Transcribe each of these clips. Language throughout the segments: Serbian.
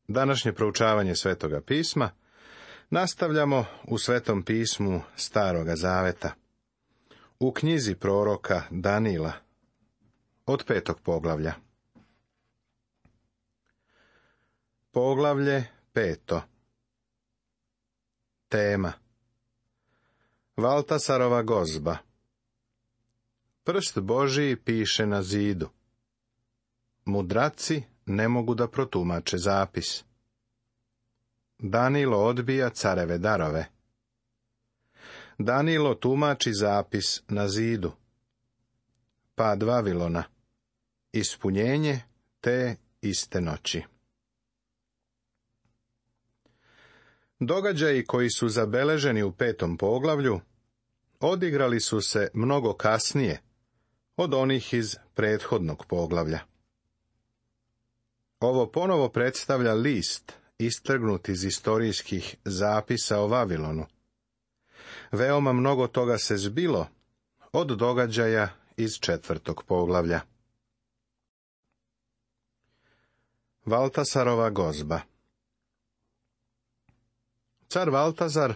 Današnje proučavanje Svetoga pisma nastavljamo u Svetom pismu Staroga Zaveta, u knjizi proroka Danila, od 5. poglavlja. Poglavlje 5. Tema: Valtasarova gozba. Prst Božiji piše na zidu. Mudraci ne mogu da protumače zapis. Danilo odbija careve darove. Danilo tumači zapis na zidu. Pad Vavilona. Ispunjenje te iste noći. Događaji koji su zabeleženi u 5. poglavlju odigrali su se mnogo kasnije od onih iz prethodnog poglavlja. Ovo ponovo predstavlja list istrgnut iz istorijskih zapisa o Vavilonu. Veoma mnogo toga se zbilo od događaja iz 4. poglavlja. Valtasarova gozba. Car Valtazar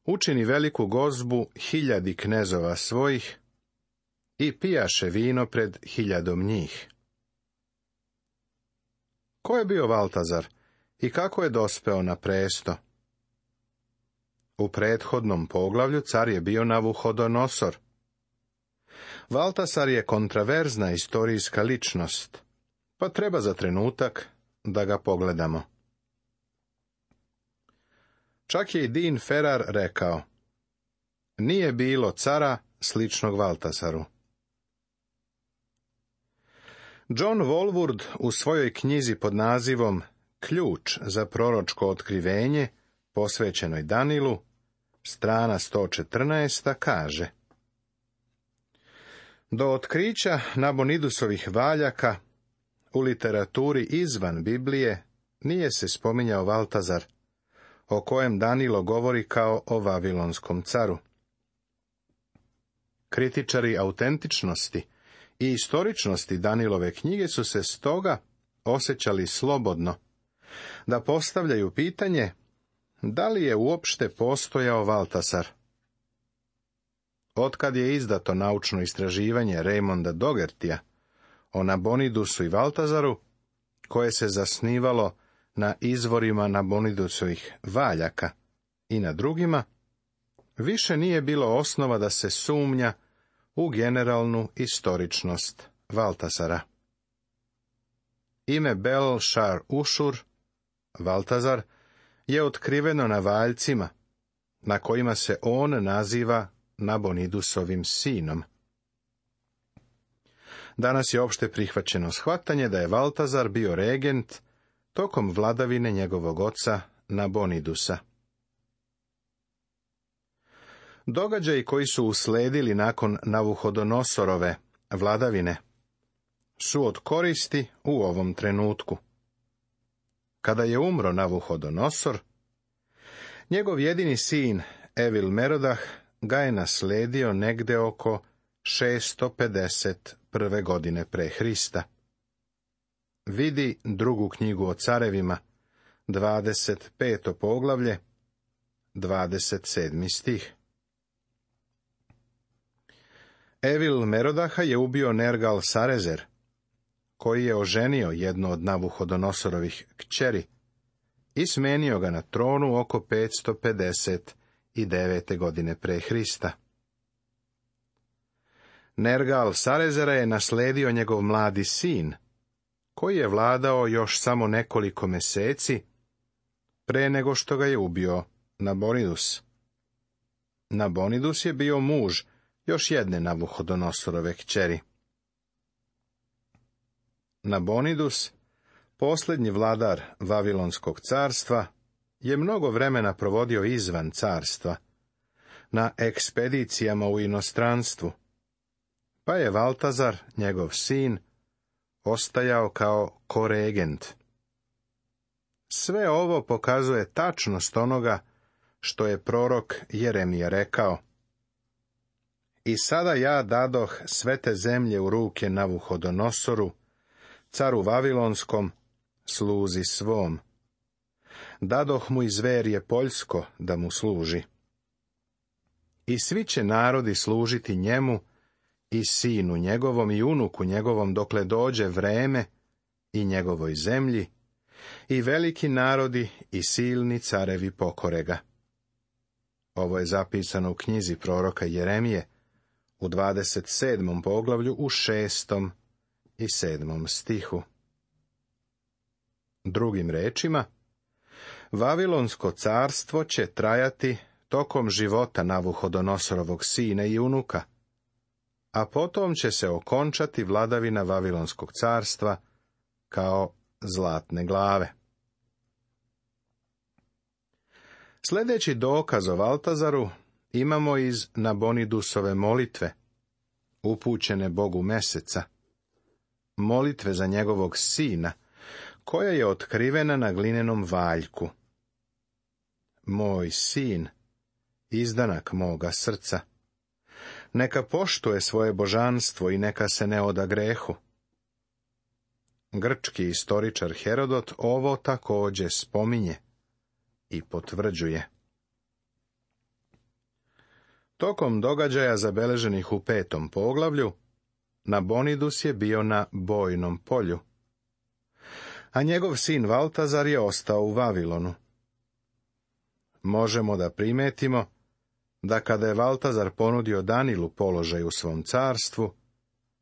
učini veliku gozbu 1000 knezova svojih i pijaše vino pred 1000 njih. Ko je bio Valtazar i kako je dospeo na presto? U prethodnom poglavlju car je bio Navuhodonosor. Valtasar je kontraverzna istorijska ličnost, pa treba za trenutak da ga pogledamo. Čak je i Dean Ferrar rekao: nije bilo cara sličnog Valtasaru. John Walvoord u svojoj knjizi pod nazivom Ključ za proročko otkrivenje, posvećenoj Danilu, strana 114, kaže: do otkrića Nabonidusovih valjaka u literaturi izvan Biblije nije se spominjao Valtazar, o kojem Danilo govori kao o vavilonskom caru. Kritičari autentičnosti i istoričnosti Danilove knjige su se stoga osjećali slobodno da postavljaju pitanje da li je uopšte postojao Valtasar. Otkad je izdato naučno istraživanje Raymonda Doughertya o Nabonidusu i Valtazaru, koje se zasnivalo na izvorima Nabonidusovih valjaka i na drugima, više nije bilo osnova da se sumnja u generalnu istoričnost Valtasara. Ime Bel-Šar Ušur, Valtazar, je otkriveno na valjcima, na kojima se on naziva Nabonidusovim sinom. Danas je opšte prihvaćeno shvatanje da je Valtazar bio regent tokom vladavine njegovog oca Nabonidusa. Događaji koji su usledili nakon Navuhodonosorove vladavine su od koristi u ovom trenutku. Kada je umro Navuhodonosor, njegov jedini sin Evil Merodah ga je nasledio negde oko 651. godine pre Hrista. Vidi 2. knjigu o carevima, 25. poglavlje, 27. stih. Evil Merodaha je ubio Nergal Sarezer, koji je oženio jednu od Navuhodonosorovih kćeri i smenio ga na tronu oko 559. godine pre Hrista. Nergal Sarezera je nasledio njegov mladi sin, koji je vladao još samo nekoliko meseci pre nego što ga je ubio Nabonidus. Nabonidus je bio muž još jedne Navuhodonosorove kćeri. Nabonidus, posljednji vladar Vavilonskog carstva, je mnogo vremena provodio izvan carstva, na ekspedicijama u inostranstvu, pa je Valtazar, njegov sin, ostajao kao koregent. Sve ovo pokazuje tačnost onoga što je prorok Jeremija rekao: i sada ja dadoh sve te zemlje u ruke Navuhodonosoru, caru Vavilonskom, sluzi svom, Dadoh mu i zverje poljsko da mu služi. I svi će narodi služiti njemu, i sinu njegovom i unuku njegovom, dokle dođe vreme, i njegovoj zemlji, i veliki narodi i silni carevi pokore ga. Ovo je zapisano u knjizi proroka Jeremije, u 27. poglavlju, u 6. i 7. stihu. Drugim rečima, Vavilonsko carstvo će trajati tokom života Navuhodonosorovog sina i unuka, a potom će se okončati vladavina Vavilonskog carstva kao zlatne glave. Sljedeći dokaz o Valtazaru imamo iz Nabonidusove molitve, upućene Bogu Meseca, molitve za njegovog sina, koja je otkrivena na glinenom valjku. Moj sin, izdanak moga srca, neka poštuje svoje božanstvo i neka se ne oda grehu. Grčki istoričar Herodot ovo također spominje i potvrđuje. Tokom događaja zabeleženih u 5. poglavlju, Nabonidus je bio na bojnom polju, a njegov sin Valtazar je ostao u Vavilonu. Možemo da primetimo da kada je Valtazar ponudio Danilu položaj u svom carstvu,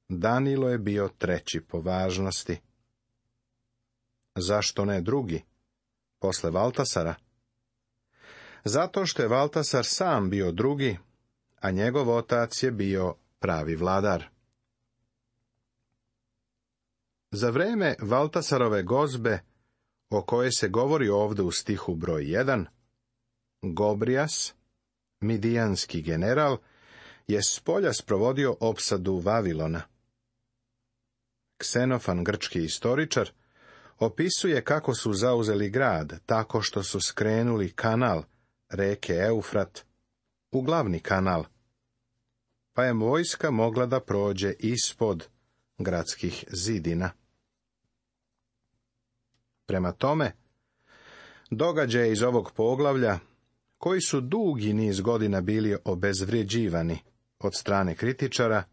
Danilo je bio 3. po važnosti. Zašto ne drugi, posle Valtasara? Zato što je Valtasar sam bio drugi, a njegov otac je bio pravi vladar. Za vreme Valtasarove gozbe, o kojoj se govori ovdje u stihu broj 1, Gobrijas, midijanski general, je s polja sprovodio opsadu Vavilona. Ksenofan, grčki istoričar, opisuje kako su zauzeli grad tako što su skrenuli kanal reke Eufrat u glavni kanal, pa je vojska mogla da prođe ispod gradskih zidina. Prema tome, događaje iz ovog poglavlja, koji su dugi niz godina bili obezvrjeđivani od strane kritičara,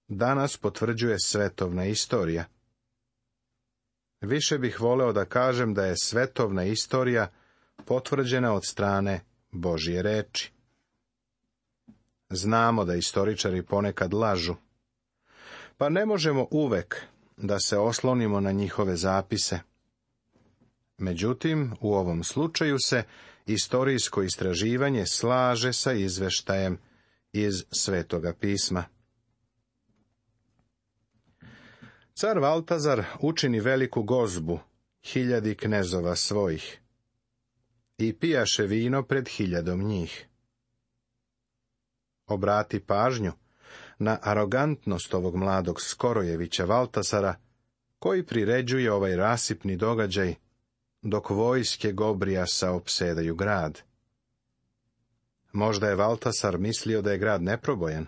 danas potvrđuje svetovna istorija. Više bih voleo da kažem da je svetovna istorija potvrđena od strane Božje reči. Znamo da istoričari ponekad lažu, pa ne možemo uvek da se oslonimo na njihove zapise. Međutim, u ovom slučaju se istorijsko istraživanje slaže sa izveštajem iz Svetoga pisma. Car Valtazar učini veliku gozbu 1000 knezova svojih i pijaše vino pred 1000 njih. Obrati pažnju na arogantnost ovog mladog Skorojevića Valtasara, koji priređuje ovaj rasipni događaj, dok vojske Gobrijasa opsedaju grad. Možda je Valtasar mislio da je grad neprobojan.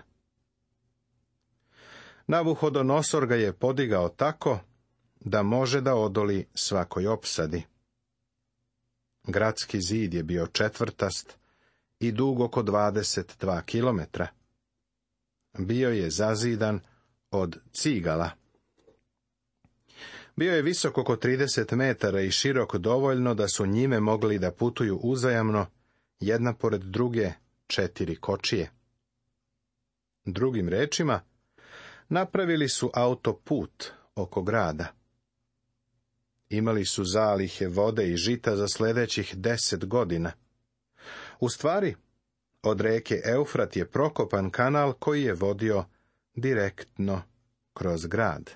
Navuhodonosor ga je podigao tako da može da odoli svakoj opsadi. Gradski zid je bio četvrtast i dug oko 22 kilometra. Bio je zazidan od cigala. Bio je visok oko 30 metara i širok dovoljno da su njime mogli da putuju uzajamno, jedna pored druge, 4 kočije. Drugim rečima, napravili su autoput oko grada. Imali su zalihe vode i žita za sljedećih 10 godina. U stvari, od reke Eufrat je prokopan kanal koji je vodio direktno kroz grad.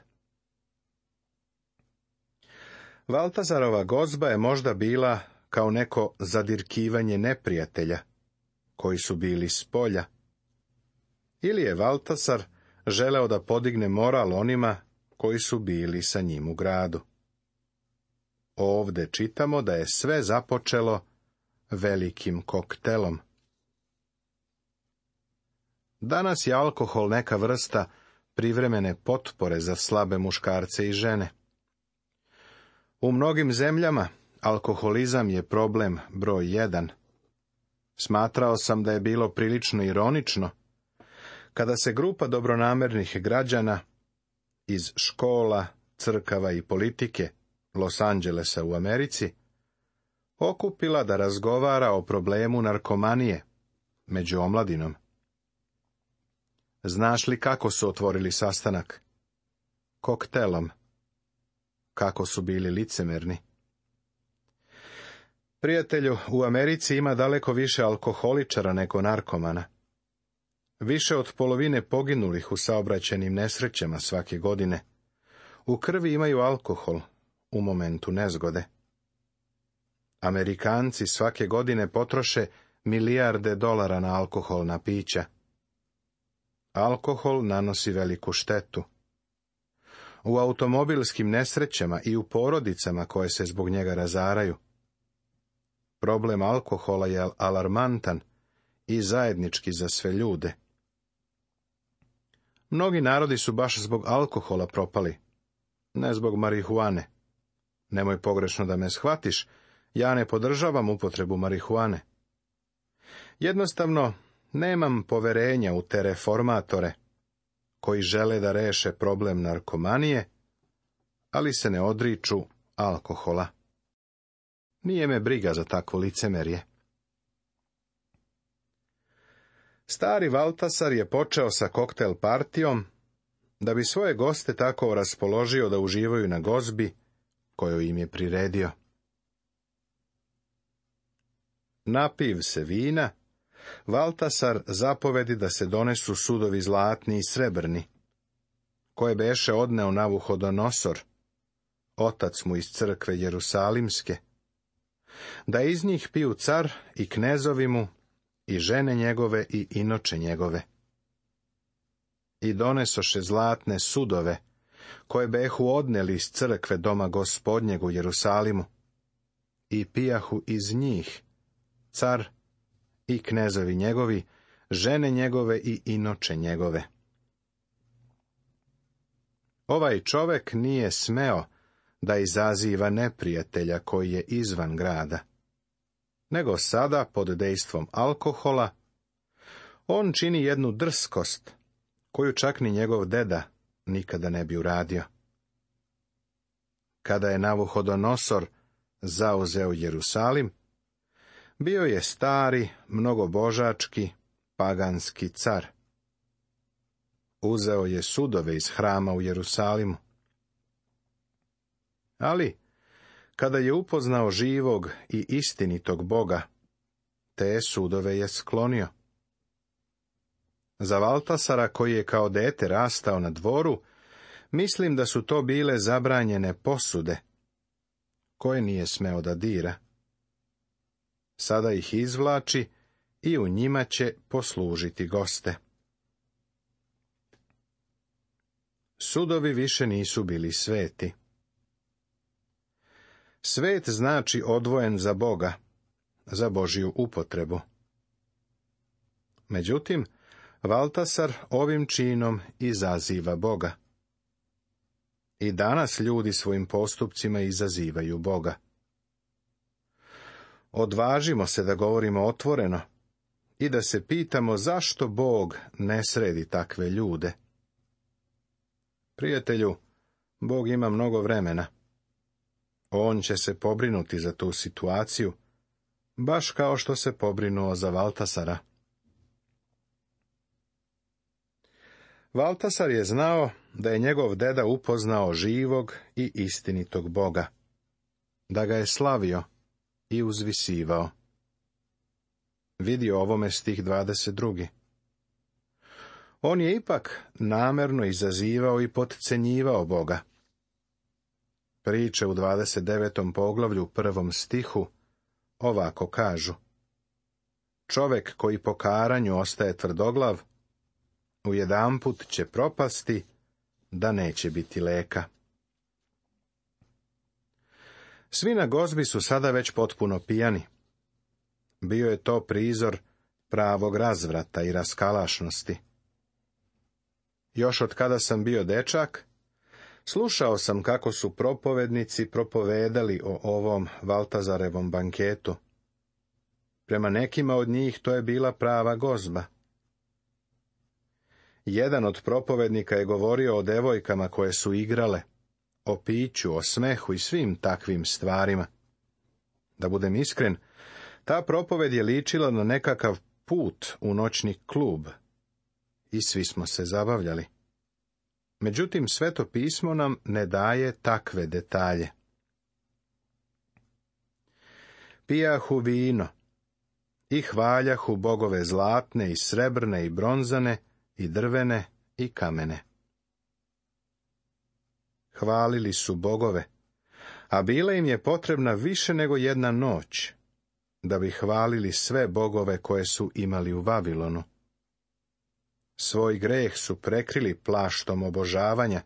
Valtazarova gozba je možda bila kao neko zadirkivanje neprijatelja, koji su bili s polja. Ili je Valtasar želeo da podigne moral onima koji su bili sa njim u gradu. Ovde čitamo da je sve započelo velikim koktelom. Danas je alkohol neka vrsta privremene potpore za slabe muškarce i žene. U mnogim zemljama Alkoholizam je problem broj 1. Smatrao sam da je bilo prilično ironično kada se grupa dobronamernih građana iz škola, crkava i politike Los Angelesa u Americi okupila da razgovara o problemu narkomanije među omladinom. Znaš li kako su otvorili sastanak? Koktelom. Kako su bili licemerni. Prijatelju, u Americi ima daleko više alkoholičara nego narkomana. Više od polovine poginulih u saobraćajnim nesrećama svake godine u krvi imaju alkohol u momentu nezgode. Amerikanci svake godine potroše milijarde dolara na alkoholna pića. Alkohol nanosi veliku štetu. U automobilskim nesrećama i u porodicama koje se zbog njega razaraju. Problem alkohola je alarmantan i zajednički za sve ljude. Mnogi narodi su baš zbog alkohola propali, ne zbog marihuane. Nemoj pogrešno da me shvatiš, ja ne podržavam upotrebu marihuane. Jednostavno, nemam poverenja u te reformatore, koji žele da reše problem narkomanije, ali se ne odriču alkohola. Nije me briga za takvo licemerje. Stari Valtasar je počeo sa koktel partijom, da bi svoje goste tako raspoložio da uživaju na gozbi koju im je priredio. Napiv se vina, Valtasar zapovedi da se donesu sudovi zlatni i srebrni, koje beše odneo Navuhodonosor, otac mu iz crkve Jerusalimske, da iz njih piju car i knezovi mu, i žene njegove i inoče njegove. I donesoše zlatne sudove, koje behu odneli iz crkve doma Gospodnjeg u Jerusalimu, i pijahu iz njih, car i knezovi njegovi, žene njegove i inoče njegove. Ovaj čovek nije smeo da izaziva neprijatelja koji je izvan grada, nego sada, pod dejstvom alkohola, on čini jednu drskost, koju čak ni njegov deda nikada ne bi uradio. Kada je Navuhodonosor zauzeo Jerusalim, bio je stari, mnogobožački, paganski car. Uzeo je sudove iz hrama u Jerusalimu. Ali, kada je upoznao živog i istinitog Boga, te sudove je sklonio. Za Valtasara, koji je kao dete rastao na dvoru, mislim da su to bile zabranjene posude, koje nije smeo da dira. Sada ih izvlači i u njima će poslužiti goste. Sudovi više nisu bili sveti. Svet znači odvojen za Boga, za Božju upotrebu. Međutim, Valtasar ovim činom izaziva Boga. I danas ljudi svojim postupcima izazivaju Boga. Odvažimo se da govorimo otvoreno i da se pitamo zašto Bog ne sredi takve ljude. Prijatelju, Bog ima mnogo vremena. On će se pobrinuti za tu situaciju, baš kao što se pobrinuo za Valtasara. Valtasar je znao da je njegov deda upoznao živog i istinitog Boga, da ga je slavio i uzvisivao. Vidi ovome stih 22. On je ipak namerno izazivao i potcenjivao Boga. Priče u 29. poglavlju 1. stihu ovako kažu: čovek koji po karanju ostaje tvrdoglav, ujedanput će propasti, da neće biti leka. Svi na gozbi su sada već potpuno pijani. Bio je to prizor pravog razvrata i raskalašnosti. Još od kada sam bio dečak, Slušao sam kako su propovednici propovedali o ovom Valtazarevom banketu. Prema nekima od njih to je bila prava gozba. Jedan od propovednika je govorio o devojkama koje su igrale, o piću, o smehu i svim takvim stvarima. Da budem iskren, ta propoved je ličila na nekakav put u noćni klub i svi smo se zabavljali. Međutim, Sveto pismo nam ne daje takve detalje. Pijahu vino i hvaljahu bogove zlatne i srebrne i bronzane i drvene i kamene. Hvalili su bogove, a bila im je potrebna više nego jedna noć, da bi hvalili sve bogove koje su imali u Vavilonu. Svoj greh su prekrili plaštom obožavanja,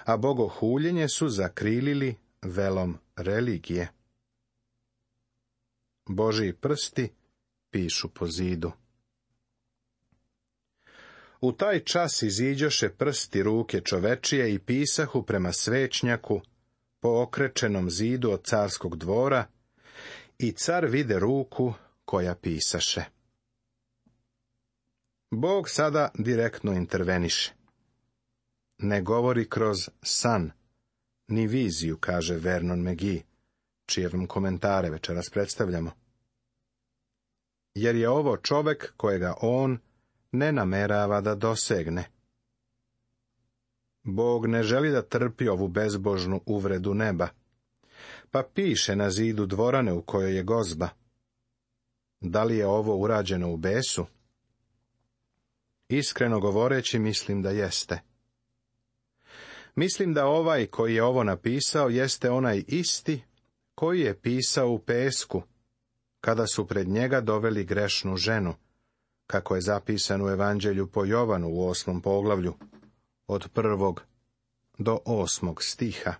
a bogohuljenje su zakrilili velom religije. Božji prsti pišu po zidu. U taj čas iziđoše prsti ruke čovečije i pisahu prema svećnjaku po okrečenom zidu od carskog dvora, i car vide ruku koja pisaše. Bog sada direktno interveniše. Ne govori kroz san, ni viziju, kaže Vernon McGee, čije vam komentare večeras predstavljamo. Jer je ovo čovek kojega on ne namerava da dosegne. Bog ne želi da trpi ovu bezbožnu uvredu neba, pa piše na zidu dvorane u kojoj je gozba. Da li je ovo urađeno u besu? Iskreno govoreći, mislim da jeste. Mislim da ovaj koji je ovo napisao jeste onaj isti koji je pisao u pesku, kada su pred njega doveli grešnu ženu, kako je zapisano u Evanđelju po Jovanu u 8. poglavlju, od 1. do 8. stiha.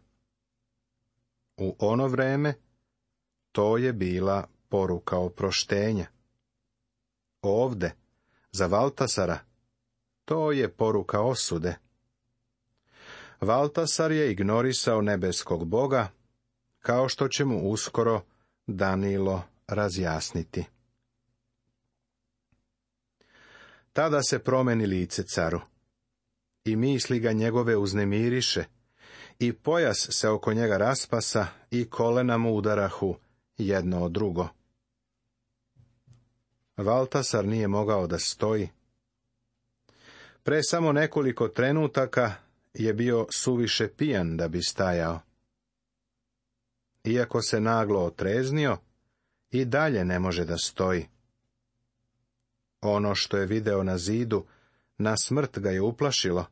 U ono vreme to je bila poruka oproštenja. Ovde, za Valtasara, to je poruka osude. Valtasar je ignorisao nebeskog Boga, kao što će mu uskoro Danilo razjasniti. Tada se promeni lice caru, i misli ga njegove uznemiriše, i pojas se oko njega raspasa, i kolena mu udarahu jedno od drugo. Valtasar nije mogao da stoji. Pre samo nekoliko trenutaka je bio suviše pijan da bi stajao. Iako se naglo otreznio, i dalje ne može da stoji. Ono što je video na zidu, na smrt ga je uplašilo.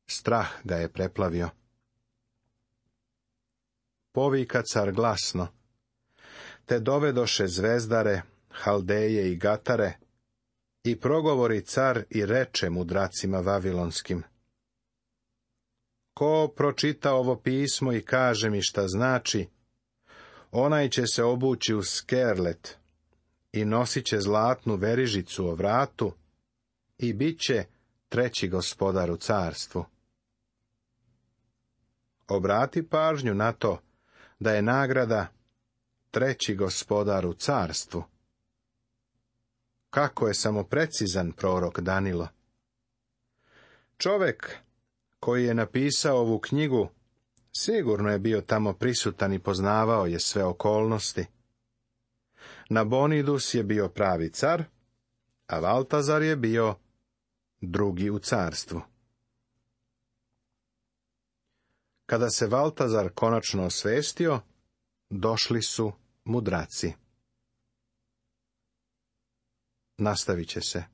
Strah ga je preplavio. Povika car glasno, te dovedoše zvezdare, haldeje i gatare, i progovori car i reče mudracima vavilonskim. Ko pročita ovo pismo i kaže mi šta znači, onaj će se obući u skerlet i nosit će zlatnu verižicu o vratu i bit će treći gospodar u carstvu. Obrati pažnju na to da je nagrada treći gospodar u carstvu. Kako je samo precizan prorok Danilo. Čovek koji je napisao ovu knjigu sigurno je bio tamo prisutan i poznavao je sve okolnosti. Nabonidus je bio pravi car, a Valtazar je bio drugi u carstvu. Kada se Valtazar konačno osvestio, došli su mudraci. Nastavit će se.